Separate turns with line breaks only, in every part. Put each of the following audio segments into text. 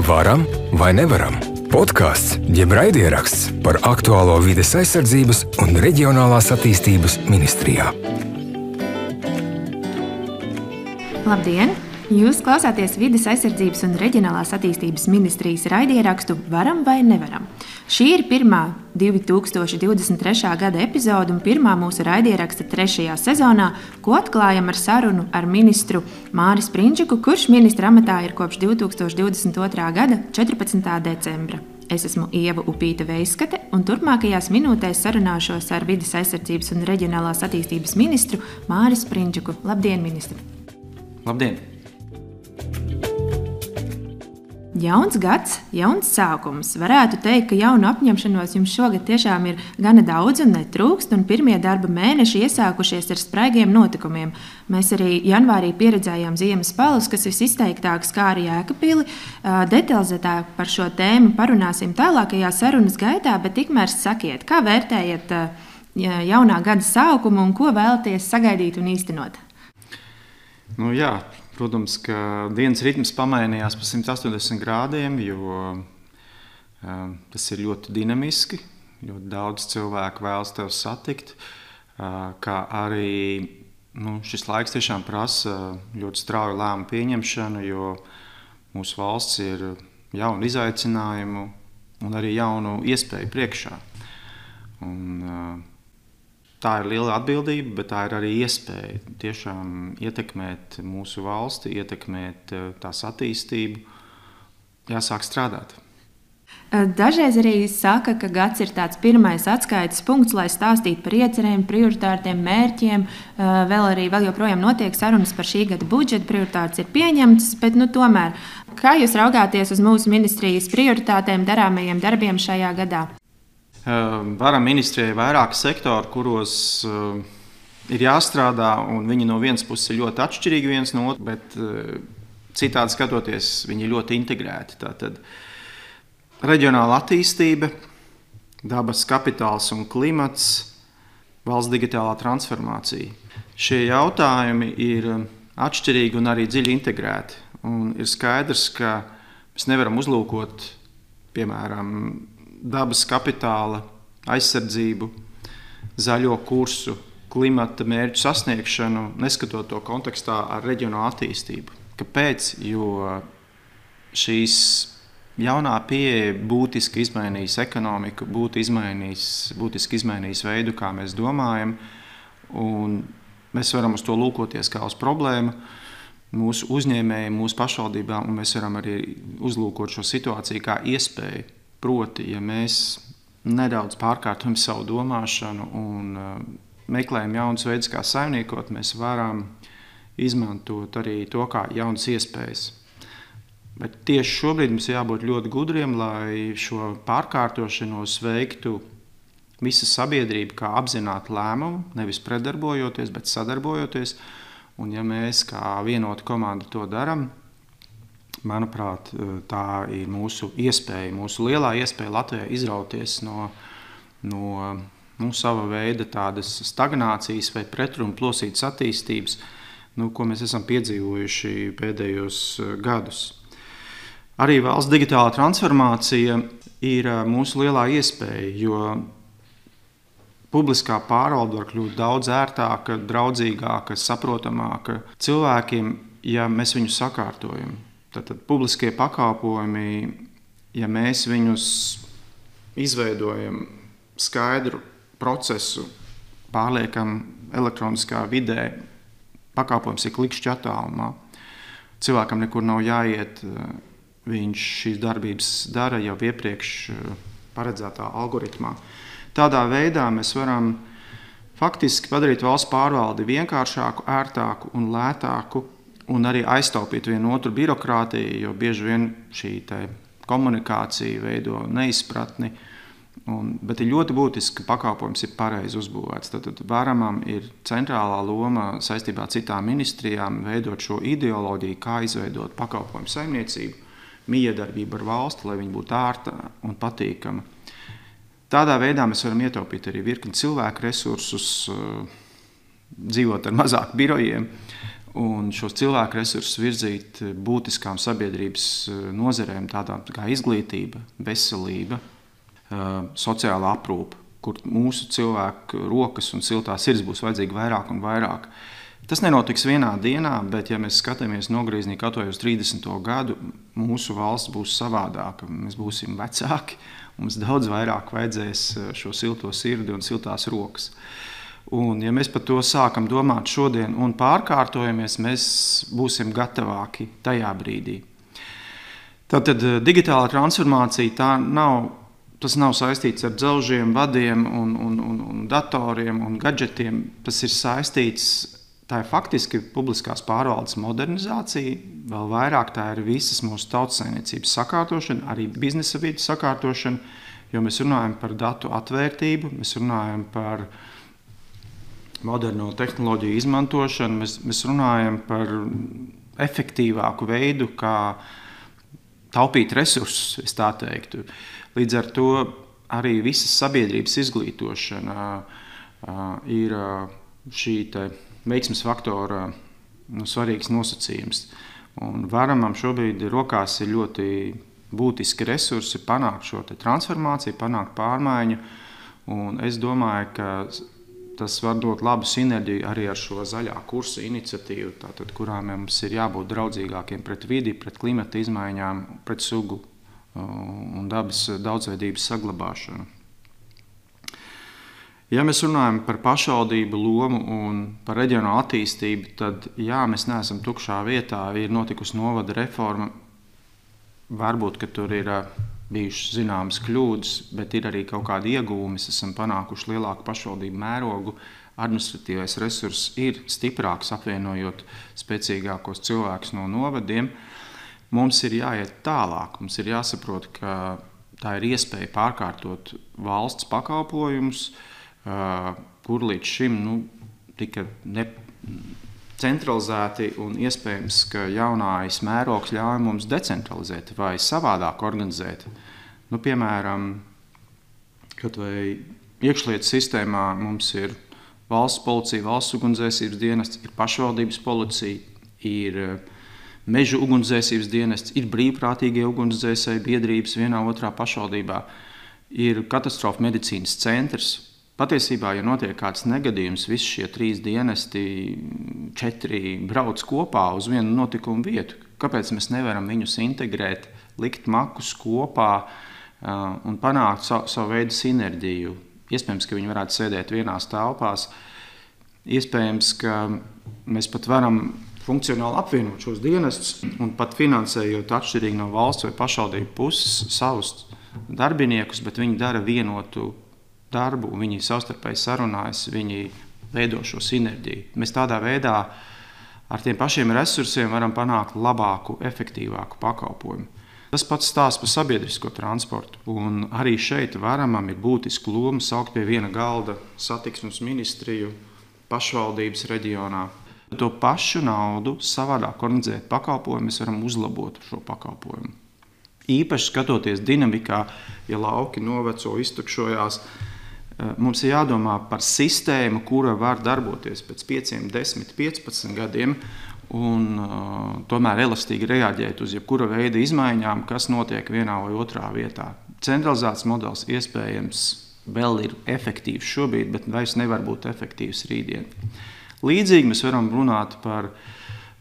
Varam vai nevaram? Podkāsts jeb raidieraksts par aktuālo vides aizsardzības un reģionālās attīstības ministrijā.
Labdien! Jūs klausāties Vides aizsardzības un reģionālās attīstības ministrijas raidierakstu Varam vai nevaram? Šī ir pirmā 2023. gada epizode un pirmā mūsu raidieraksta 3. sezonā, ko atklājam ar sarunu ar ministru Māri Sprindžiku, kurš ministra amatā ir kopš 2022. gada 14. decembra. Es esmu Ieva Upīte-Veiskate, un turpmākajās minūtēs sarunāšos ar Vides aizsardzības un reģionālās attīstības ministru Māri Sprindžiku. Labdien, ministri!
Labdien!
Jauns gads, jauns sākums. Varētu teikt, ka jaunu apņemšanos jums šogad tiešām ir gana daudz un netrūkst, un pirmie darba mēneši iesākušies ar spraigiem notikumiem. Mēs arī janvārī pieredzējām ziemas palus, kas visizteiktāk skāra Jēkabpili. Detalizētāk par šo tēmu parunāsim tālākajā sarunas gaitā, bet tikmēr sakiet, kā vērtējat jaunā gada sākumu un ko vēlaties sagaidīt un īstenot?
Protams, ka dienas ritms pamainījās pa 180 grādiem, jo tas ir ļoti dinamiski. Ļoti daudz cilvēku vēlas tevi satikt, kā arī šis laiks tiešām prasa ļoti strauju lēmumu pieņemšanu, jo mūsu valsts ir jaunu izaicinājumu un arī jaunu iespēju priekšā. Tā ir liela atbildība, bet tā ir arī iespēja tiešām ietekmēt mūsu valsti, ietekmēt tās attīstību, jāsāk strādāt.
Dažreiz arī saka, ka gads ir tāds pirmais atskaites punkts, lai stāstītu par iecerēm, prioritāriem, mērķiem. Vēl joprojām notiek sarunas par šī gada budžetu, prioritātes ir pieņemtas, bet tomēr, kā jūs raugāties uz mūsu ministrijas prioritātēm, darāmajiem darbiem šajā gadā?
Varam ministrijai vairāki sektori, kuros ir jāstrādā, un viņi no vienas puses ir ļoti atšķirīgi viens no otras, bet citādi skatoties, viņi ir ļoti integrēti. Tātad reģionāla attīstība, dabas kapitāls un klimats, valsts digitālā transformācija. Šie jautājumi ir atšķirīgi un arī dziļi integrēti. Un ir skaidrs, ka mēs nevaram uzlūkot, piemēram, dabas kapitāla aizsardzību, zaļo kursu, klimata mērķu sasniegšanu, neskatot to kontekstā ar reģionālu attīstību. Kāpēc? Jo šīs jaunā pieeja būtiski izmainīs ekonomiku, būtiski izmainīs veidu, kā mēs domājam, un mēs varam uz to lūkoties kā uz problēmu mūsu uzņēmējiem, mūsu pašvaldībām, un mēs varam arī uzlūkot šo situāciju kā iespēju. Proti, ja mēs nedaudz pārkārtojam savu domāšanu un meklējam jaunus veidus, kā saimniekot, mēs varam izmantot arī to kā jaunas iespējas. Bet tieši šobrīd mums jābūt ļoti gudriem, lai šo pārkārtošanos veiktu visa sabiedrība kā apzinātu lēmumu, nevis pretdarbojoties, bet sadarbojoties. Un ja mēs kā vienota komanda to darām, manuprāt, tā ir mūsu iespēja, mūsu lielā iespēja Latvijai izrauties no sava veida tādas stagnācijas vai pretrunu plosītas attīstības, ko mēs esam piedzīvojuši pēdējos gadus. Arī valsts digitālā transformācija ir mūsu lielā iespēja, jo publiskā pārvalde var kļūt daudz ērtāka, draudzīgāka, saprotamāka cilvēkiem, ja mēs viņus sakārtojam. Tātad publiskie pakalpojumi, ja mēs viņus izveidojam skaidru procesu, pārliekam elektroniskā vidē, pakalpojums ir klikšķi attālumā. Cilvēkam nekur nav jāiet, viņš šīs darbības dara jau iepriekš paredzētā algoritmā. Tādā veidā mēs varam faktiski padarīt valsts pārvaldi vienkāršāku, ērtāku un lētāku, un arī aiztaupīt vienu otru birokrātiju, jo bieži vien šī komunikācija veido neizpratni. Bet ir ļoti būtiski, ka pakalpojums ir pareizi uzbūvēts. Tad Varamam ir centrālā loma saistībā ar citām ministrijām veidot šo ideoloģiju, kā izveidot pakalpojumu saimniecību, mijiedarbību ar valsti, lai viņa būtu ērta un patīkama. Tādā veidā mēs varam ietaupīt arī virkni cilvēku resursus, dzīvot ar mazāk birojiem. un šos cilvēku resursus virzīt būtiskām sabiedrības nozarēm, tādām kā izglītība, veselība, sociālā aprūpe, kur mūsu cilvēku rokas un siltā sirds būs vajadzīgi vairāk un vairāk. Tas nenotiks vienā dienā, bet, ja mēs skatāmies nogriezienī kaut vai uz 30. gadu, mūsu valsts būs savādāka. Mēs būsim vecāki, mums daudz vairāk vajadzēs šo silto sirdi un siltās rokas. Un, ja mēs par to sākam domāt šodien un pārkārtojamies, mēs būsim gatavāki tajā brīdī. Tātad digitālā transformācija tas nav saistīts ar dzelžiem, vadiem un datoriem un gadžetiem. Tas ir saistīts. Tā ir faktiski publiskās pārvaldes modernizācija, vēl vairāk tā ir visas mūsu tautsaimniecības sakārtošana, arī biznesa vides sakārtošana, jo mēs runājam par datu atvērtību, mēs runājam par moderno tehnoloģiju izmantošanu, mēs runājam par efektīvāku veidu, kā taupīt resursus, es tā teiktu. Līdz ar to arī visas sabiedrības izglītošana ir šī veiksmes faktora svarīgs nosacījums. Un Varamam šobrīd rokās ir ļoti būtiski resursi panākt šo transformāciju, panākt pārmaiņu. Un es domāju, ka tas var dot labu sinerģiju arī ar šo zaļā kursa iniciatīvu, tātad, kurā mums ir jābūt draudzīgākiem pret vidi, pret klimata izmaiņām, pret sugu un dabas daudzveidības saglabāšanu. Ja mēs runājam par pašvaldību lomu un par reģionālu attīstību, tad jā, mēs neesam tukšā vietā, ir notikusi novada reforma. Varbūt, ka tur ir bijušas zināmas kļūdas, bet ir arī kaut kādi ieguvumi. Mēs esam panākuši lielāku pašvaldību mērogu, administratīvais resurss ir stiprāks, apvienojot spēcīgākos cilvēkus no novadiem. Mums ir jāiet tālāk, mums ir jāsaprot, ka tā ir iespēja pārkārtot valsts pakalpojumus, kur līdz šim tika centralizēti, un iespējams, ka jaunais mērogs ļauj mums decentralizēt vai savādāk organizēt. Piemēram, kaut vai iekšlietu sistēmā mums ir valsts policija, valsts ugunsdzēsības dienests, ir pašvaldības policija, ir mežu ugunsdzēsības dienests, ir brīvprātīgie ugunsdzēsēji biedrības vienā otrā pašvaldībā, ir katastrofu medicīnas centrs. Patiesībā, ja notiek kāds negadījums, visi šie 3 dienesti, 4 brauc kopā uz vienu notikumu vietu. Kāpēc mēs nevaram viņus integrēt, likt makus kopā un panākt savu veidu sinerģiju? Iespējams, ka viņi varētu sēdēt vienās telpās. Iespējams, ka mēs pat varam funkcionāli apvienot šos dienestus un pat finansējot atšķirīgi no valsts vai pašvaldību puses savus darbiniekus, bet viņi dara vienotu darbu, viņi savstarpēji sarunājas, viņi veido šo sinerģiju. Mēs tādā veidā ar tiem pašiem resursiem varam panākt labāku, efektīvāku pakalpojumu. Tas pats stāsts par sabiedrisko transportu. Un arī šeit Varamam ir būtiska loma saukt pie viena galda satiksmes ministriju, pašvaldības reģionā. To pašu naudu savādāk organizēt pakalpojumu, mēs varam uzlabot šo pakalpojumu. Īpaši skatoties dinamikā, ja lauki noveco, iztukšojās, mums ir jādomā par sistēmu, kura var darboties pēc 5, 10, 15 gadiem un tomēr elastīgi reaģēt uz jebkura veida izmaiņām, kas notiek vienā vai otrā vietā. Centralizēts modelis iespējams vēl ir efektīvs šobrīd, bet vairs nevar būt efektīvs rītdien. Līdzīgi mēs varam runāt par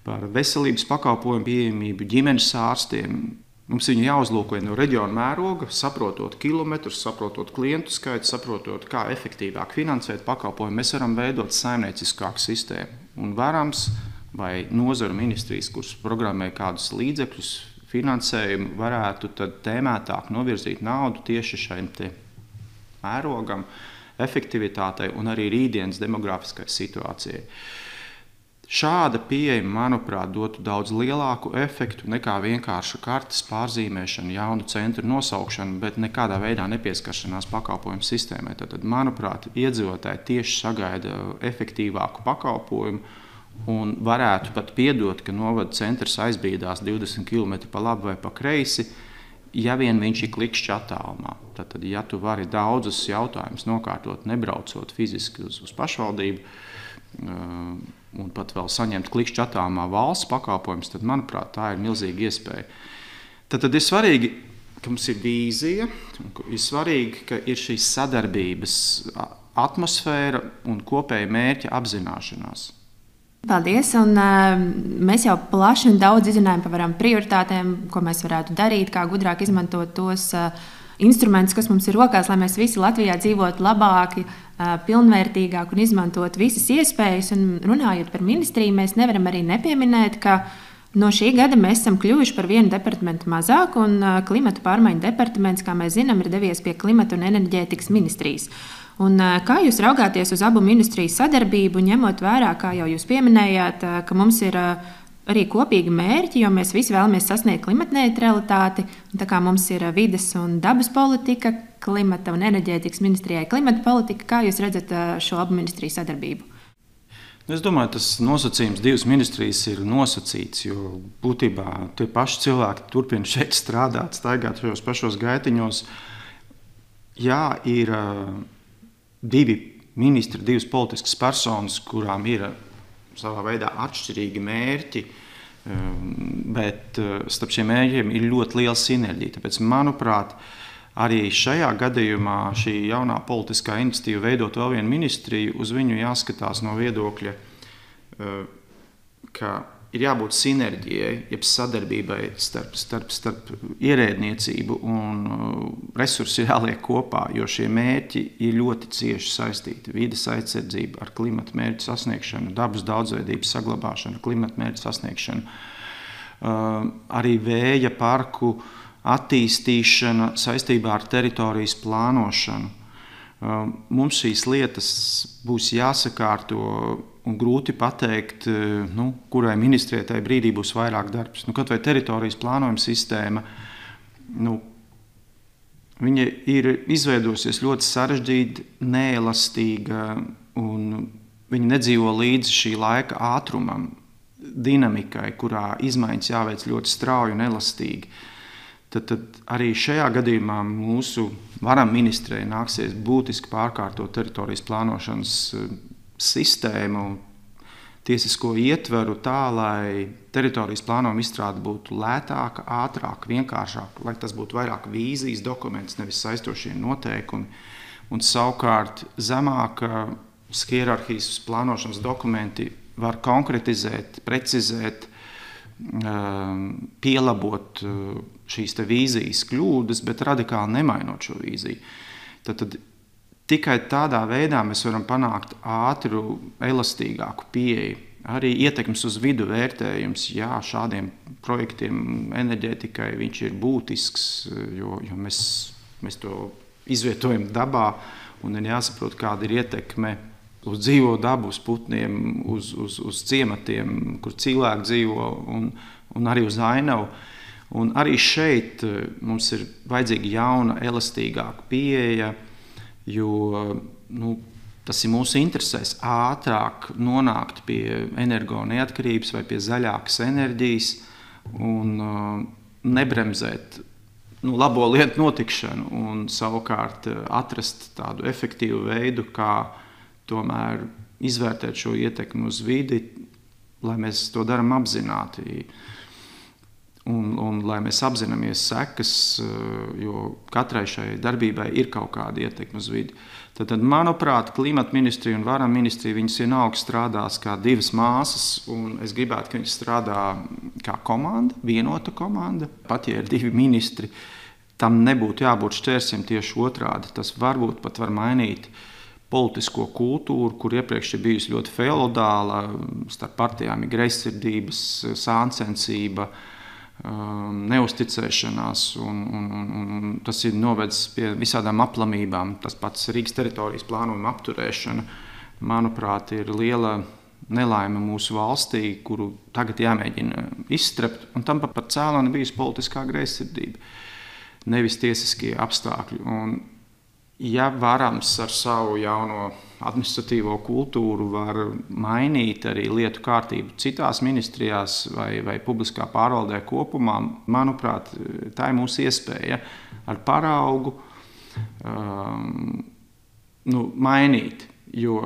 veselības pakalpojumu pieejamību, ģimenes ārstiem. Mums viņu jāuzlūko no reģiona mēroga, saprotot kilometrus, saprotot klientu skaitu, saprotot, kā efektīvāk finansēt pakalpojumu. Mēs varam veidot saimnieciskāku sistēmu. Un Varams vai nozaru ministrijas, kuras programmē kādus līdzekļus, finansējumu, varētu tad tēmētāk novirzīt naudu tieši šajam mērogam, efektivitātei un arī rītdienas demografiskai situācijai. Šāda pieeja, manuprāt, dotu daudz lielāku efektu nekā vienkārša kartes pārzīmēšana, jaunu centru nosaukšana, bet nekādā veidā nepieskaršanās pakalpojumu sistēmai. Tad, manuprāt, iedzīvotāji tieši sagaida efektīvāku pakalpojumu un varētu pat piedot, ka novada centrs aizbīdās 20 km pa labi vai pa kreisi, ja vien viņš ir klikšķi attālumā. Tad, ja tu vari daudzus jautājumus nokārtot, nebraucot fiziski uz pašvaldību, un pat vēl saņemt klikšķi attālumā valsts pakalpojumus, tad, manuprāt, tā ir milzīga iespēja. Tad ir svarīgi, ka mums ir vīzija, ir svarīgi, ka ir šīs sadarbības atmosfēra un kopēja mērķa apzināšanās.
Paldies! Mēs jau plaši un daudz izrunājam par prioritātēm, ko mēs varētu darīt, kā gudrāk izmantot tos instrumentus, kas mums ir rokās, lai mēs visi Latvijā dzīvotu labāk, pilnvērtīgāk un izmantot visas iespējas. Un runājot par ministriju, mēs nevaram arī nepieminēt, ka no šī gada mēs esam kļuvuši par vienu departamentu mazāk, un klimata pārmaiņu departaments, kā mēs zinām, ir devies pie klimata un enerģētikas ministrijas. Un kā jūs raugāties uz abu ministriju sadarbību, ņemot vērā, kā jau jūs pieminējāt, ka mums ir arī kopīgi mērķi, jo mēs visi vēlamies sasniegt klimatneitralitāti, un tā kā mums ir vides un dabas politika, klimata un enerģētikas ministrijai klimata politika, kā jūs redzat šo abu ministriju sadarbību?
Es domāju, tas nosacījums divas ministrijas ir nosacīts, jo būtībā tie paši cilvēki turpina šeit strādāt, staigāt šajos pašos gaitiņos. Jā, ir divi ministri, divas politiskas personas, kurām ir savā veidā atšķirīgi mērķi, bet starp šiem mērķiem ir ļoti liela sinerģija. Tāpēc, manuprāt, arī šajā gadījumā šī jaunā politiskā iniciatīva veidot vēl vienu ministriju, uz viņu jāskatās no viedokļa, ka ir jābūt sinerģijai, jeb sadarbībai starp ierēdniecību un resursi jāliek kopā, jo šie mērķi ir ļoti cieši saistīti. Vides aizsardzība ar klimata mērķu sasniegšanu, dabas daudzveidības saglabāšanu, klimata mērķu sasniegšanu, arī vēja parku attīstīšana saistībā ar teritorijas plānošanu. Mums šīs lietas būs jāsakārto un grūti pateikt, kurai ministrijai tajā brīdī būs vairāk darbs. Kaut vai teritorijas plānojuma sistēma, viņa ir izveidojusies ļoti sarežģīta, neelastīga, un viņa nedzīvo līdz šī laika ātrumam, dinamikai, kurā izmaiņas jāveic ļoti strauji un elastīgi. Tad arī šajā gadījumā mūsu varam ministrei nāksies būtiski pārkārtot teritorijas plānošanas sistēmu, tiesisko ietveru tā, lai teritorijas plānojuma izstrāde būtu lētāka, ātrāka, vienkāršāka, lai tas būtu vairāk vīzijas dokuments, nevis saistošie noteikumi, un savukārt zemāka hierarhijas plānošanas dokumenti var konkretizēt, precizēt, pielabot šīs te vīzijas kļūdas, bet radikāli nemainot šo vīziju. Tad tikai tādā veidā mēs varam panākt ātru, elastīgāku pieeju. Arī ietekmes uz vidu vērtējums, jā, šādiem projektiem enerģētikai viņš ir būtisks, jo mēs to izvietojam dabā, un ir jāsaprot, kāda ir ietekme uz dzīvo dabu, uz putniem, uz ciematiem, kur cilvēki dzīvo, un arī uz ainavu. Un arī šeit mums ir vajadzīga jauna, elastīgāka pieeja, jo tas ir mūsu interesēs ātrāk nonākt pie energo neatkarības vai pie zaļākas enerģijas un nebremzēt labo lietu notikšanu un savukārt atrast tādu efektīvu veidu, kā tomēr izvērtēt šo ietekmi uz vidi, lai mēs to darām apzināti. Un lai mēs apzināmies sekas, jo katrai šai darbībai ir kaut kāda ietekme uz vidi. Tad, manuprāt, klimata ministrija un varam ministrija, viņas vienalga strādās kā divas māsas, un es gribētu, ka viņas strādā kā komanda, vienota komanda. Pat ja ir divi ministri, tam nebūtu jābūt šķērsiem tieši otrādi. Tas varbūt pat var mainīt politisko kultūru, kur iepriekš ir bijusi ļoti feodāla, starp partijām ir greizsirdības, sāncensība, neusticēšanās, un tas ir novedis pie visādām aplamībām. Tas pats Rīgas teritorijas plānojuma apturēšana, manuprāt, ir liela nelaime mūsu valstī, kuru tagad jāmēģina izstrept, un tam par cēloni bijusi politiskā greizsirdība, nevis tiesiskie apstākļi. Un ja varams ar savu jauno administratīvo kultūru var mainīt arī lietu kārtību citās ministrijās vai publiskā pārvaldē kopumā, manuprāt, tā ir mūsu iespēja ar paraugu mainīt. Jo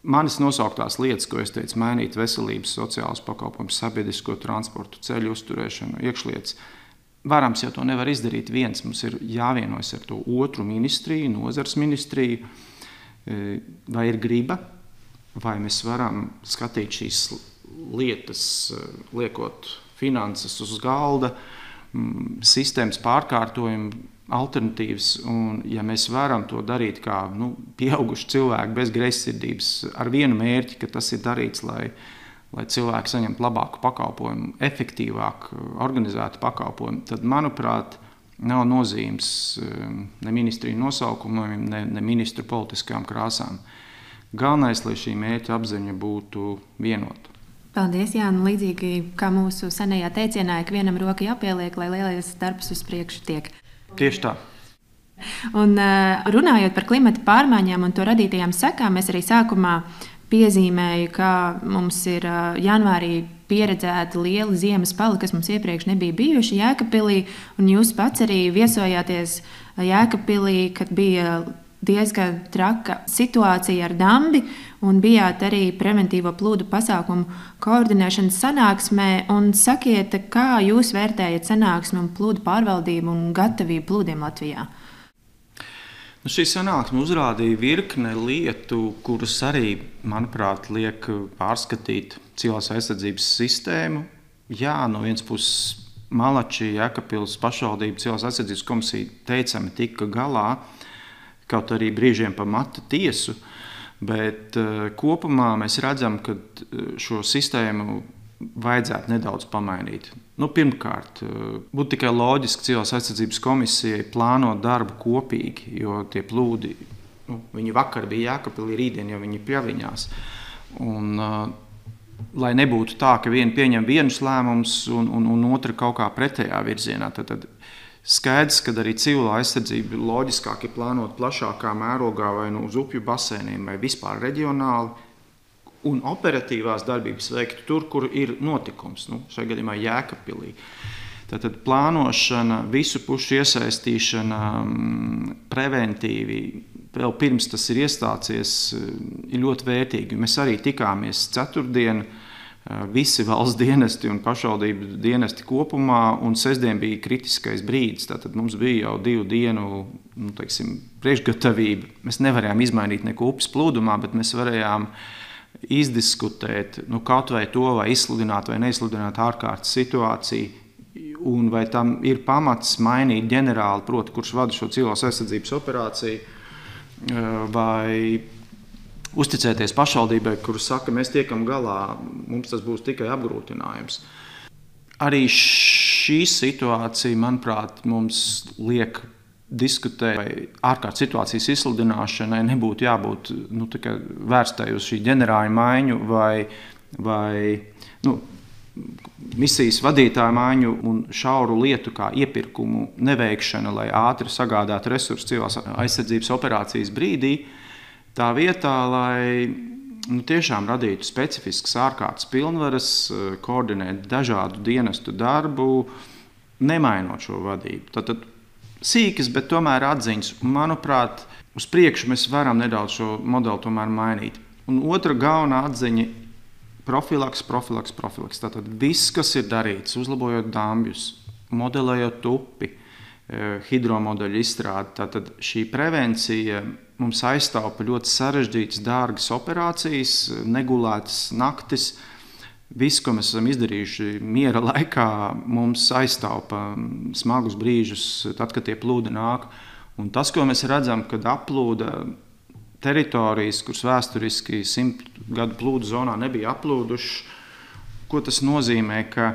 manis nosauktās lietas, ko es teicu, mainīt veselības, sociālus pakalpojumus, sabiedrisko transportu, ceļu uzturēšanu, iekšlietas. Varams jau to nevar izdarīt viens. Mums ir jāvienojas ar to otru ministriju, nozars ministriju, vai ir griba, vai mēs varam skatīt šīs lietas, liekot finanses uz galda, sistēmas pārkārtojumu, alternatīvas. Un, ja mēs varam to darīt kā pieauguši cilvēki bez greizsirdības ar vienu mērķi, ka tas ir darīts, lai cilvēki saņemtu labāku pakalpojumu, efektīvāk organizētu pakalpojumu, tad, manuprāt, nav nozīmes ne ministriju nosaukumiem, ne ministru politiskām krāsām. Galvenais, lai šī mērķa apziņa būtu vienota.
Paldies, Jāni. Līdzīgi kā mūsu senajā teicienā, ik vienam roka jāpieliek, lai lielais darbs uz priekšu tiek.
Tieši tā.
Un runājot par klimata pārmaiņām un to radītajām sekām, mēs arī sākumā piezīmēju, ka mums ir janvārī pieredzēti lieli ziemas pali, kas mums iepriekš nebija bijuši Jēkabpilī, un jūs pats arī viesojāties Jēkabpilī, kad bija diezgan traka situācija ar dambi, un bijāt arī preventīvo plūdu pasākumu koordinēšanas sanāksmē. Un sakiet, kā jūs vērtējat sanāksmi un plūdu pārvaldību un gatavību plūdiem Latvijā?
Šī sanāksme uzrādīja virkne lietu, kuras arī, manuprāt, liek pārskatīt civilās aizsardzības sistēmu. Jā, no vienas puses Malači, Jēkabpils pašvaldība, civilās aizsardzības komisija teicami tika galā, kaut arī brīžiem pa matu tiesu, bet kopumā mēs redzam, ka šo sistēmu vajadzētu nedaudz pamainīt. Pirmkārt, būtu tikai loģiski civilās aizsardzības komisijai plānot darbu kopīgi, jo tie plūdi, viņi vakar bija Jēkabpilī, rītdien jau viņi pļaviņās. Un, lai nebūtu tā, ka vieni pieņem vienus lēmumus un otra kaut kā pretējā virzienā, tad skaidrs, ka arī civilā aizsardzība loģiskāk ir plānot plašākā mērogā vai uz upju basēniem vai vispār reģionāli, un operatīvās darbības veiktu tur, kur ir notikums, šajā gadījumā Jēkabpilī. Tātad plānošana, visu pušu iesaistīšana preventīvi, vēl pirms tas ir iestācies, ir ļoti vērtīgi. Mēs arī tikāmies ceturtdien, visi valsts dienesti un pašvaldību dienesti kopumā, un sestdien bija kritiskais brīdis. Tātad mums bija jau 2 dienu priekšgatavība. Mēs nevarējām izmainīt neko upes plūdumā, bet mēs varējām izdiskutēt, kaut vai to, vai izsludināt vai neizsludināt ārkārtas situāciju, un vai tam ir pamats mainīt ģenerāli, proti, kurš vada šo civilās aizsardzības operāciju, vai uzticēties pašvaldībai, kurš saka, mēs tiekam galā, mums tas būs tikai apgrūtinājums. Arī šī situācija, manuprāt, mums liek diskutēt, vai ārkārtas situācijas izsludināšanai nebūtu jābūt tikai vērstai uz šī ģenerāļa maiņu vai misijas vadītāja maiņu un šauru lietu kā iepirkumu neveikšana, lai ātri sagādātu resursus civilās aizsardzības operācijas brīdī, tā vietā, lai tiešām radītu specifiskas ārkārtas pilnvaras, koordinēt dažādu dienestu darbu, nemainot šo vadību. Tātad sīkas, bet tomēr atziņas. Manuprāt, uz priekšu mēs varam nedaudz šo modeli tomēr mainīt. Un otra galvenā atziņa – profilaks. Tātad viss, kas ir darīts, uzlabojot dambjus, modelējot upi, hidromodeļu izstrādi, tātad šī prevencija mums aiztaupa ļoti sarežģītas, dārgas operācijas, negulētas naktis. Viss, ko mēs esam izdarījuši miera laikā, mums aiztaupa smagus brīžus, tad, kad tie plūdi nāk. Un tas, ko mēs redzam, kad aplūda teritorijas, kuras vēsturiski 100 gadu plūdu zonā nebija aplūdušas, ko tas nozīmē, ka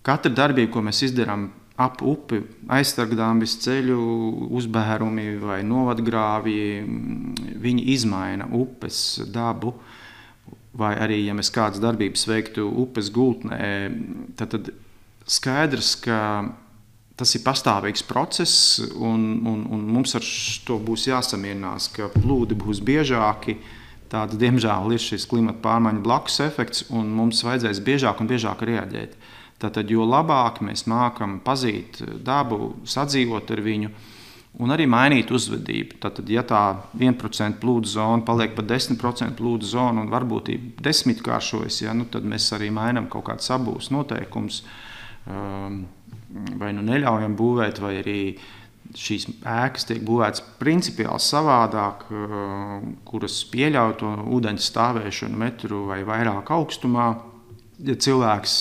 katra darbība, ko mēs izdarām ap upi, aizsargdambis, ceļu uzbērumi vai novadgrāvji, viņi izmaina upes dabu. Vai arī, ja mēs kādas darbības veiktu upes gultnē, tad skaidrs, ka tas ir pastāvīgs process, un mums ar to būs jāsamierinās, ka plūdi būs biežāki. Tāds, diemžēl, ir šis klimata pārmaiņu blakus efekts, un mums vajadzēs biežāk un biežāk reaģēt. Tātad, jo labāk mēs mākam pazīt dabu, sadzīvot ar viņu, un arī mainīt uzvedību. Tātad, ja tā 1% plūdu zona paliek par 10% plūdu zonu un varbūtība 10-kāršojas, tad mēs arī mainām kaut kādus abūves noteikumus, vai neļaujam būvēt, vai arī šīs ēkas tiek būvētas principiāli savādāk, kuras pieļauj to ūdeņa stāvēšanu metru vai vairāk augstumā. Ja cilvēks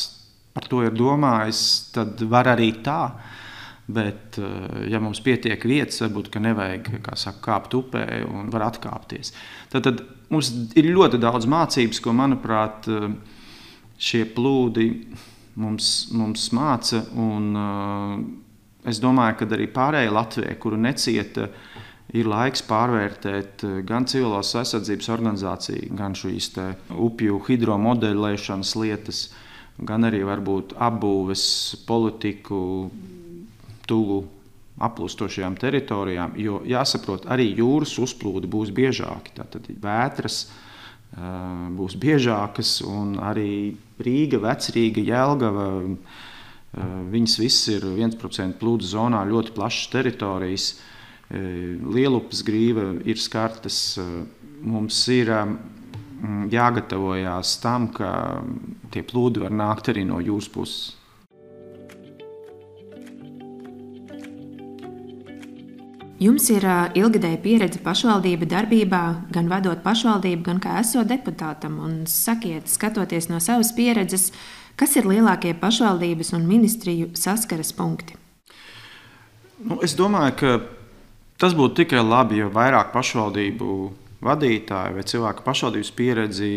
par to ir domājis, tad var arī tā. Bet, ja mums pietiek vietas, varbūt, ka nevajag, kāpt upē un var atkāpties. Tad mums ir ļoti daudz mācības, ko, manuprāt, šie plūdi mums māca. Un es domāju, ka arī pārējai Latvijai, kuru necieta, ir laiks pārvērtēt gan civilās aizsardzības organizāciju, gan šīs upju hidromodeļēšanas lietas, gan arī varbūt apbūves politiku tuvu aplūstošajām teritorijām, jo jāsaprot, arī jūras uzplūdi būs biežāki. Tātad vētras būs biežākas, un arī Rīga, Vecrīga, Jelgava, viņas viss ir 1% plūdu zonā, ļoti plašas teritorijas. Lielupes grīva ir skartas. Mums ir jāgatavojās tam, ka tie plūdi var nākt arī no jūras puses.
Jums ir ilgadēja pieredze pašvaldību darbībā, gan vadot pašvaldību, gan kā esot deputātam. Un sakiet, skatoties no savas pieredzes, kas ir lielākie pašvaldības un ministriju saskares punkti?
Es domāju, ka tas būtu tikai labi, ja vairāk pašvaldību vadītāji vai cilvēku pašvaldības pieredzi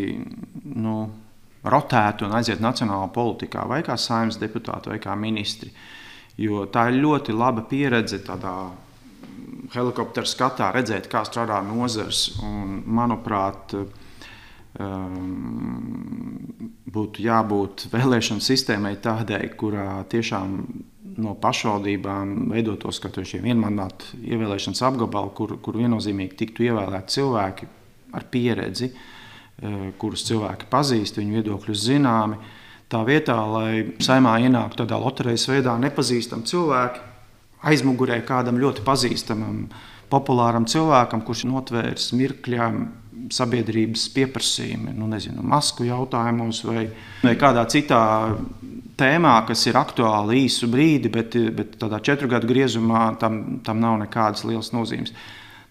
rotētu un aiziet nacionālā politikā, vai kā saimnes deputāti, vai kā ministri. Jo tā ir ļoti laba pieredze tādā helikoptera skatā redzēt, kā strādā nozars. Un, manuprāt, būtu jābūt vēlēšanu sistēmai tādai, kurā tiešām no pašvaldībām veidotos šie vienmandātu ievēlēšanas apgabali, kur viennozīmīgi tiktu ievēlēti cilvēki ar pieredzi, kurus cilvēki pazīst, viņu viedokļus zināmi. Tā vietā, lai saimā ienāktu tādā loterijas veidā nepazīstami cilvēki, aizmugurē kādam ļoti pazīstamam, populāram cilvēkam, kurš notvērs mirkļā sabiedrības pieprasījumi, masku jautājumos vai kādā citā tēmā, kas ir aktuāla īsu brīdi, bet tādā 4 gadu griezumā tam nav nekādas lielas nozīmes.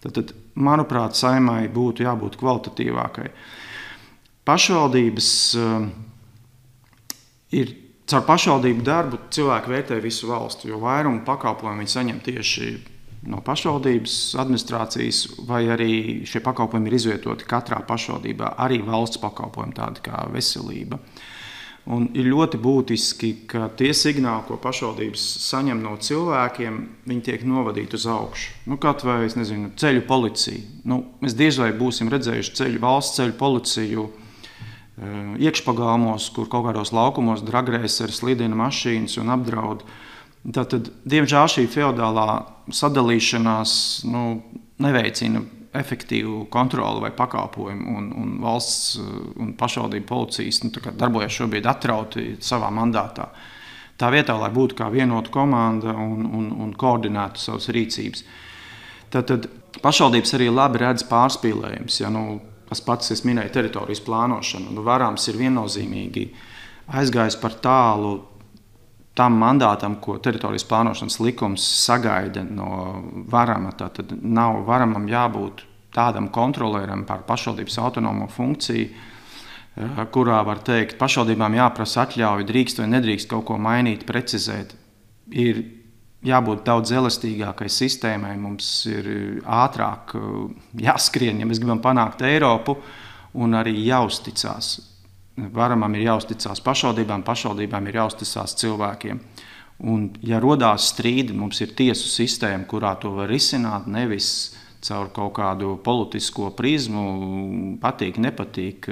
Tad, manuprāt, saimai būtu jābūt kvalitatīvākai. Pašvaldības ir caur pašvaldību darbu cilvēki vērtē visu valstu, jo vairumu pakalpojumu viņi saņem tieši no pašvaldības administrācijas, vai arī šie pakalpojumi ir izvietoti katrā pašvaldībā, arī valsts pakalpojumi, tādi kā veselība. Un ir ļoti būtiski, ka tie signāli, ko pašvaldības saņem no cilvēkiem, viņi tiek novadīti uz augšu. Kaut vai, ceļu policija. Mēs diez vai būsim redzējuši valsts ceļu policiju iekšpagalmos, kur kaut kādos laukumos dragreiseri slidina mašīnas un apdraud. Tātad, diemžēl šī feodālā sadalīšanās neveicina efektīvu kontroli vai pakalpojumu, un valsts un pašvaldību policijas darbojas šobrīd atrauti savā mandātā. Tā vietā, lai būtu kā vienota komanda un koordinētu savas rīcības. Tātad pašvaldības arī labi redz pārspīlējums. Tas pats, es minēju teritorijas plānošanu. Varams ir viennozīmīgi aizgājis par tālu tam mandātam, ko teritorijas plānošanas likums sagaida no varama. Tātad nav varamam jābūt tādam kontrolieram par pašvaldības autonomo funkciju, kurā var teikt, pašvaldībām jāprasa atļauja, drīkst vai nedrīkst kaut ko mainīt, precizēt. Ir jābūt daudz elastīgākai sistēmai, mums ir ātrāk jāskrien, ja mēs gribam panākt Eiropu, un arī jāuzticās. Varamam ir jāuzticās pašvaldībām, pašvaldībām ir jāuzticās cilvēkiem. Un, ja rodās strīdi, mums ir tiesu sistēma, kurā to var risināt, nevis caur kaut kādu politisko prizmu, patīk, nepatīk,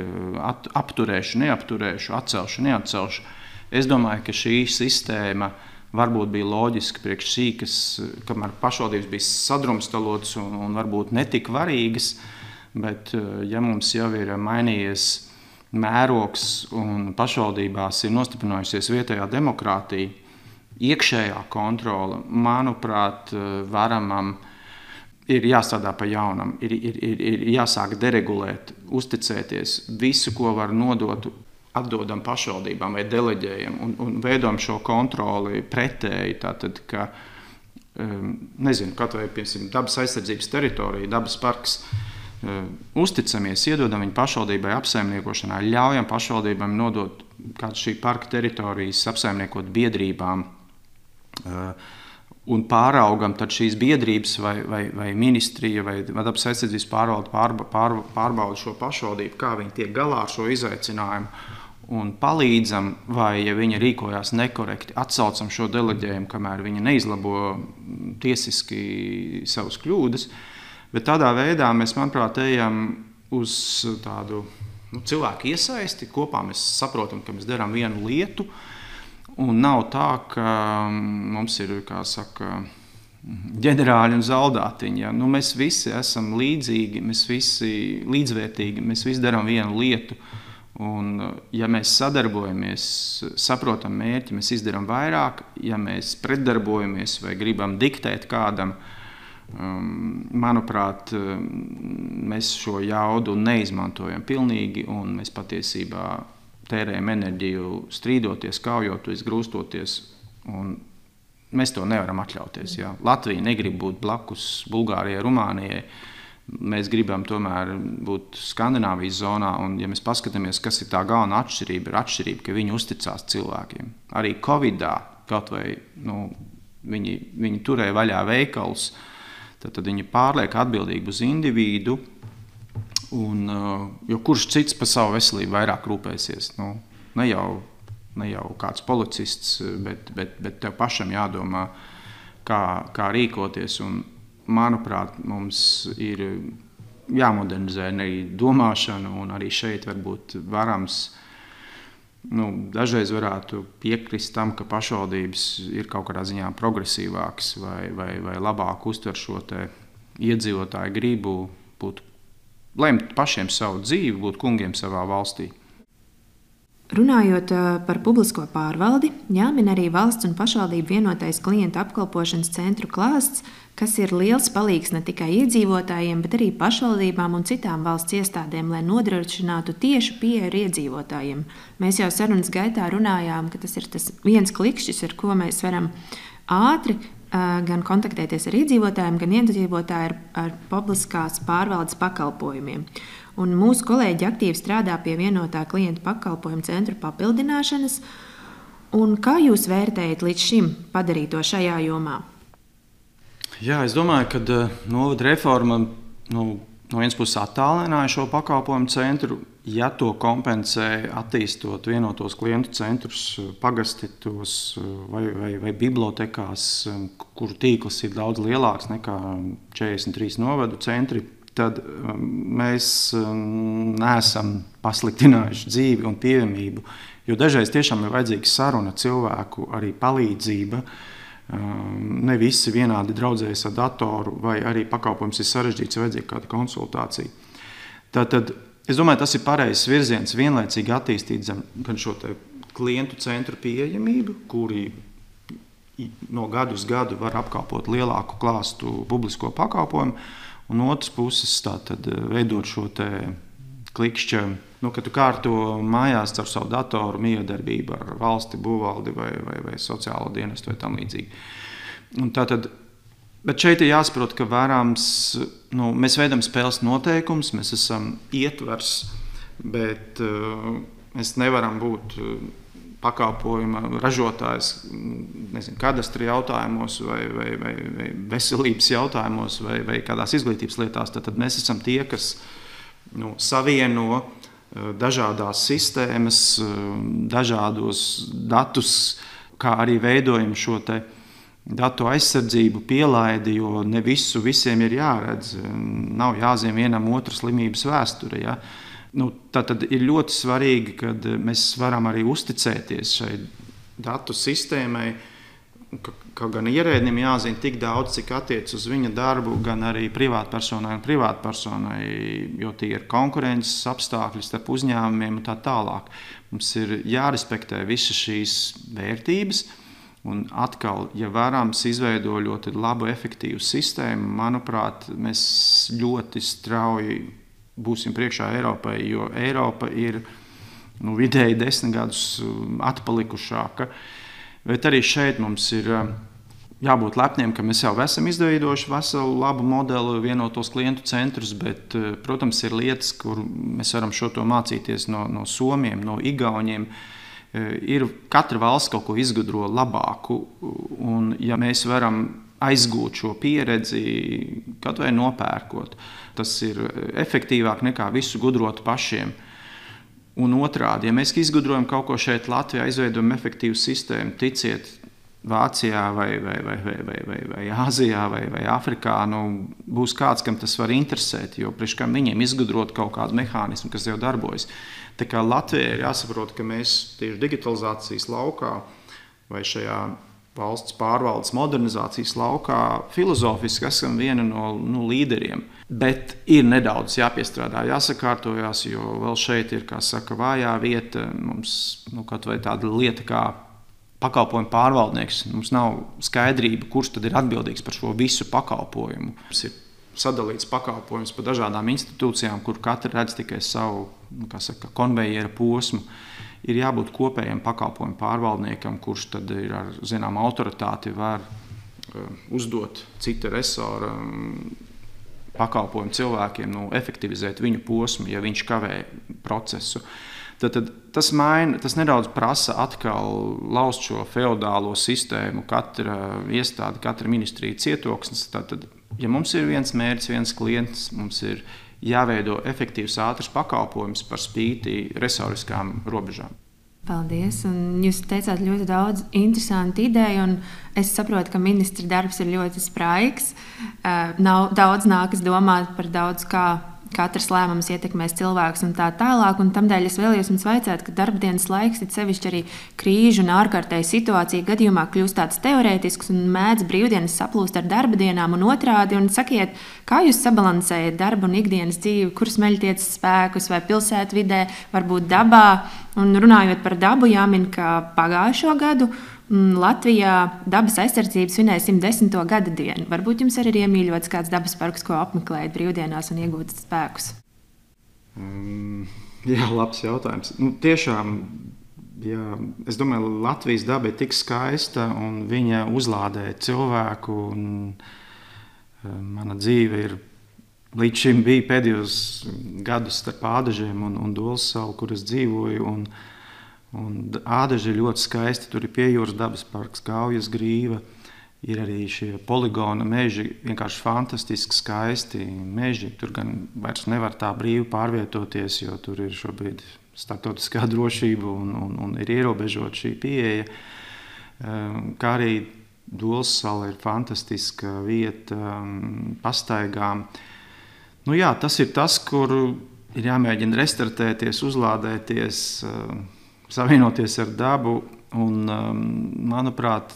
apturēšu, neapturēšu, atcelšu, neatcelšu. Es domāju, ka šī sistēma varbūt bija loģiski priekš šī, kamēr pašvaldības bija sadrumstalotas un varbūt netik varīgas, bet ja mums jau ir mainījies mērogs un pašvaldībās ir nostiprinājusies vietējā demokrātija, iekšējā kontrole, manuprāt, varamam ir jāstrādā pa jaunam, ir jāsāk deregulēt, uzticēties visu, ko var nodot, atdodam pašvaldībām vai deleģējam un veidojam šo kontroli pretēji. Tātad, ka, nezinu, kaut vai, piemēram, dabas aizsardzības teritorija, dabas parks, uzticamies, iedodam viņu pašvaldībai apsaimniekošanā, ļaujam pašvaldībām nodot kādu šī parka teritorijas apsaimniekot biedrībām un pāraugam tad šīs biedrības vai ministrija vai dabas aizsardzības pārbauda šo pašvaldību, kā viņi tiek galā ar šo izaicinājumu un palīdzam, vai, ja viņi rīkojās nekorekti, atsaucam šo deleģējumu, kamēr viņi neizlabo tiesiski savas kļūdas. Bet tādā veidā mēs, manuprāt, ejam uz tādu cilvēku iesaisti. Kopā mēs saprotam, ka mēs darām vienu lietu, un nav tā, ka mums ir, kā saka, ģenerāļi un zaldātiņi. Ja? Mēs visi esam līdzīgi, mēs visi līdzvērtīgi, mēs visi darām vienu lietu. Un, ja mēs sadarbojamies, saprotam mērķi, mēs izdarām vairāk. Ja mēs pretdarbojamies vai gribam diktēt kādam, manuprāt, mēs šo jaudu neizmantojam pilnīgi, un mēs patiesībā tērējam enerģiju strīdoties, kaujoties, grūstoties, un mēs to nevaram atļauties. Ja? Latvija negrib būt blakus Bulgārijai, Rumānijai. Mēs gribam tomēr būt Skandināvijas zonā, un ja mēs paskatāmies, kas ir tā galvenā atšķirība, ir atšķirība, ka viņi uzticās cilvēkiem. Arī Covidā kaut vai viņi turēja vaļā veikalus, tad viņi pārliek atbildīgi uz individu, jo kurš cits par savu veselību vairāk rūpēsies. Ne jau kāds policists, bet tev pašam jādomā, kā rīkoties. Un, manuprāt, mums ir jāmodernizē arī domāšana, un arī šeit varbūt varams, dažreiz varētu piekrist tam, ka pašvaldības ir kaut kādā ziņā progresīvāks vai labāk uztver šo te iedzīvotāju gribu lemt pašiem savu dzīvi, būt kungiem savā valstī.
Runājot par publisko pārvaldi, jāmin arī valsts un pašvaldību vienotais klientu apkalpošanas centru klāsts, kas ir liels palīgs ne tikai iedzīvotājiem, bet arī pašvaldībām un citām valsts iestādēm, lai nodrošinātu tiešu pieeju ar iedzīvotājiem. Mēs jau sarunas gaitā runājām, ka tas ir tas viens klikšķis, ar ko mēs varam ātri gan kontaktēties ar iedzīvotājiem, gan iedzīvotāji ar publiskās pārvaldes pakalpojumiem. Un mūsu kolēģi aktīvi strādā pie vienotā klientu pakalpojumu centru papildināšanas. Un kā jūs vērtējat līdz šim padarīto šajā jomā?
Jā, es domāju, ka novada reforma no vienas puses attālināja šo pakalpojumu centru. Ja to kompensē, attīstot vienotos klientu centrus pagastitos vai bibliotekās, kuru tīkls ir daudz lielāks nekā 43 novadu centri, tad mēs neesam pasliktinājuši dzīvi un pieejamību, jo dažreiz tiešām ir vajadzīga saruna cilvēku, arī palīdzība. Ne visi vienādi draudzējas ar datoru, vai arī pakalpojums ir sarežģīts, vajadzīga kāda konsultācija. Tātad, es domāju, tas ir pareizs virziens vienlaicīgi attīstīt gan šo te klientu centru pieejamību, kuri no gadu uz gadu var apkalpot lielāku klāstu publisko pakalpojumu, un otras puses tātad veidot šo te klikšķa, kad tu kārto mājās ar savu datoru miedarbību ar valsti, būvvaldi vai sociālo dienestu vai tam līdzīgi. Bet šeit ir jāsaprot, ka vērāms, mēs veidam spēles noteikums, mēs esam ietvers, bet mēs nevaram būt pakalpojuma ražotājs, kadastra jautājumos vai veselības jautājumos vai kādās izglītības lietās. Tad mēs esam tie, kas savieno dažādās sistēmas, dažādos datus, kā arī veidojam šo te datu aizsardzību, pielaidi, jo ne visu visiem ir jāredz. Nav jāzina vienam otru slimības vēsture. Ja? Tātad ir ļoti svarīgi, kad mēs varam arī uzticēties šai datu sistēmai, ka gan ierēdnim jāzina tik daudz, cik attiec uz viņa darbu, gan arī privātpersonai, jo tie ir konkurences apstākļi starp uzņēmumiem un tā tālāk. Mums ir jārespektē visas šīs vērtības, Un atkal, ja Varams izveido ļoti labu, efektīvu sistēmu, manuprāt, mēs ļoti strauji būsim priekšā Eiropai, jo Eiropa ir vidēji 10 gadus atpalikušāka. Bet arī šeit mums ir jābūt lepniem, ka mēs jau esam izveidojuši veselu labu modeli, vienotos klientu centrus, bet, protams, ir lietas, kur mēs varam šo to mācīties no Somiem, no Igauniem. Ir katra valsts kaut ko izgudro labāku, un ja mēs varam aizgūt šo pieredzi, kaut vai nopērkot, tas ir efektīvāk nekā visu gudrot pašiem. Un otrādi, ja mēs izgudrojam kaut ko šeit Latvijā, izveidojam efektīvu sistēmu, ticiet, Vācijā vai Āzijā vai Afrikā, būs kāds, kam tas var interesēt, jo priekš kam viņiem izgudrot kaut kādu mehānismu, kas jau darbojas. Tā kā Latvijai ir jāsaprot, ka mēs tieši digitalizācijas laukā vai šajā valsts pārvaldes modernizācijas laukā filozofiski esam viena no līderiem. Bet ir nedaudz jāpiestrādā, jāsakārtojās, jo vēl šeit ir, kā saka, vājā vieta. Mums kaut vai tāda lieta kā pakalpojumu pārvaldnieks. Mums nav skaidrība, kurš tad ir atbildīgs par šo visu pakalpojumu. Mums ir sadalīts pakalpojums pa dažādām institūcijām, kur katra redz tikai savu, konvejera posmu. Ir jābūt kopējam pakalpojumu pārvaldniekam, kurš tad ir ar zinām autoritāti var uzdot cita resora pakalpojumu cilvēkiem, efektivizēt viņu posmu, ja viņš kavē procesu. Tad tas nedaudz prasa atkal laust šo feodālo sistēmu, katra iestāde, katra ministrija cietoksnis. Tad, ja mums ir viens mērķis, viens klients, mums ir jāveido efektīvs, ātrs pakalpojums par spīti resoriskām robežām.
Paldies! Un jūs teicāt ļoti daudz interesantu ideju, un es saprotu, ka ministra darbs ir ļoti spraigs. Daudz nākas domāt par daudz kā katrs lēmums ietekmēs cilvēkus un tā tālāk. Un tamdēļ es vēlējos jums vaicāt, ka darbdienas laiks, it sevišķi arī krīžu un ārkārtēju situāciju gadījumā kļūst tāds teorētisks un mēdz brīvdienas saplūst ar darba dienām un otrādi. Un sakiet, kā jūs sabalansējat darbu un ikdienas dzīvi, kur smeļtiet spēkus vai pilsētvidē, varbūt dabā? Un runājot par dabu, jāmin, ka pagājušo gadu Latvijā dabas aizsardzība svinēja 110. gada dienu. Varbūt jums arī ir iemīļots kāds dabas parks, ko apmeklējat brīvdienās un iegūt spēkus?
Jā, labs jautājums. Tiešām, jā, es domāju, Latvijas daba ir tik skaista un viņa uzlādē cilvēku. Mana dzīve ir līdz šim bija pēdējos gadus starp Ādažiem un Dolsalu, kur es dzīvoju. Un Ādaži ir ļoti skaisti, tur ir Piejūras dabas parks, Gaujas grīva, ir arī šie poligona meži, vienkārši fantastiski skaisti meži. Tur gan vairs nevar tā brīvi pārvietoties, jo tur ir šobrīd starptautiskā drošība un ir ierobežot šī pieeja. Kā arī Dolsala ir fantastiska vieta pastaigām. Jā, tas ir tas, kur ir jāmēģina restartēties, uzlādēties, savienoties ar dabu. Un, manuprāt,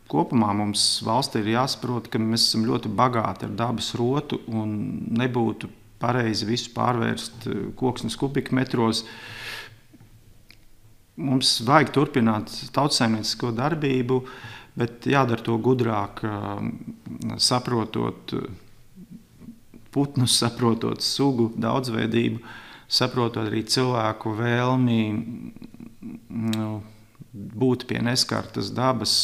kopumā mums valstī ir jāsaprot, ka mēs esam ļoti bagāti ar dabas rotu un nebūtu pareizi visu pārvērst koksnes kubikmetros. Mums vajag turpināt tautsaimniecisko darbību, bet jādara to gudrāk, saprotot putnus, saprotot sugu daudzveidību, saprotot arī cilvēku vēlmi būt pie neskartas dabas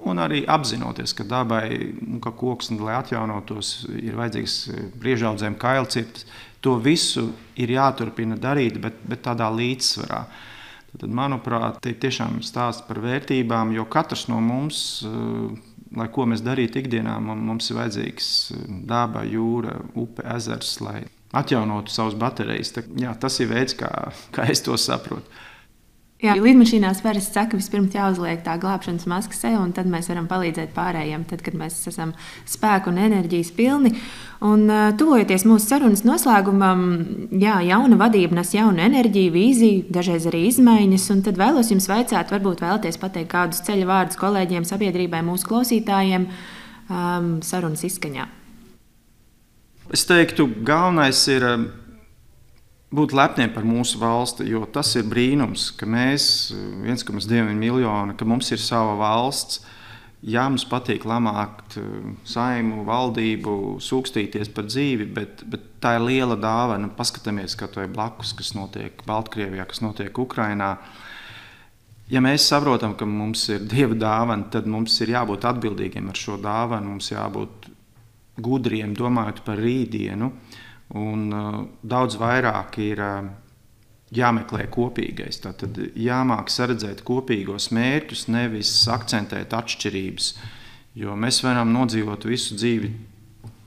un arī apzinoties, ka dabai, ka koksni, lai atjaunotos, ir vajadzīgs briežaudzēm kailcirtas. To visu ir jāturpina darīt, bet tādā līdzsvarā. Tad, manuprāt, te tiešām stāsts par vērtībām, jo katrs no mums, lai ko mēs darītu ikdienā, mums ir vajadzīgs daba, jūra, upe, ezers, lai atjaunotu savas baterijas. Jā, tas ir veids, kā es to saprotu.
Jā, lidmašīnās parasti saka, vispirms jāuzliek tā glābšanas maska sev, un tad mēs varam palīdzēt pārējiem, tad, kad mēs esam spēku un enerģijas pilni. Un tuvojoties mūsu sarunas noslēgumam, jā, jauna vadība nes jaunu enerģiju, vīziju, dažreiz arī izmaiņas, un tad vēlos jums vaicāt, varbūt vēlaties pateikt kādus ceļa vārdus kolēģiem, sabiedrībai, mūsu klausītājiem sarunas izskaņā.
Es teiktu, galvenais ir būt lepniem par mūsu valsti, jo tas ir brīnums, ka mēs 1,2 miljoni, ka mums ir sava valsts. Jā, mums patīk lamāt saimu, valdību, sūkstīties par dzīvi, bet tā ir liela dāvana. Paskatāmies, kā to ir blakus, kas notiek Baltkrievijā, kas notiek Ukrainā. Ja mēs saprotam, ka mums ir Dieva dāvana, tad mums ir jābūt atbildīgiem ar šo dāvanu, mums jābūt gudriem, domājot par rītdienu, un daudz vairāk ir jāmeklē kopīgais. Tātad jāmāk saredzēt kopīgos mērķus, nevis akcentēt atšķirības, jo mēs varam nodzīvot visu dzīvi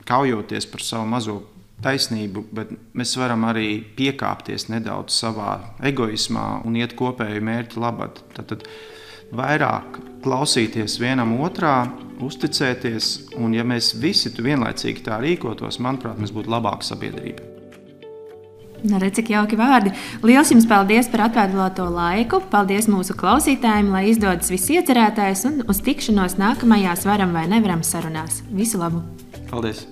kaujoties par savu mazo taisnību, bet mēs varam arī piekāpties nedaudz savā egoismā un iet kopēju mērķu labad. Tātad vairāk klausīties vienam otrā, uzticēties, un ja mēs visi vienlaicīgi tā rīkotos, manuprāt, mēs būtu labāka sabiedrība.
Redz, cik jauki vārdi. Liels jums paldies par atvēlēto laiku. Paldies mūsu klausītājiem, lai izdodas viss iecerētais, un uz tikšanos nākamajās Varam vai nevaram sarunās. Visu labu!
Paldies!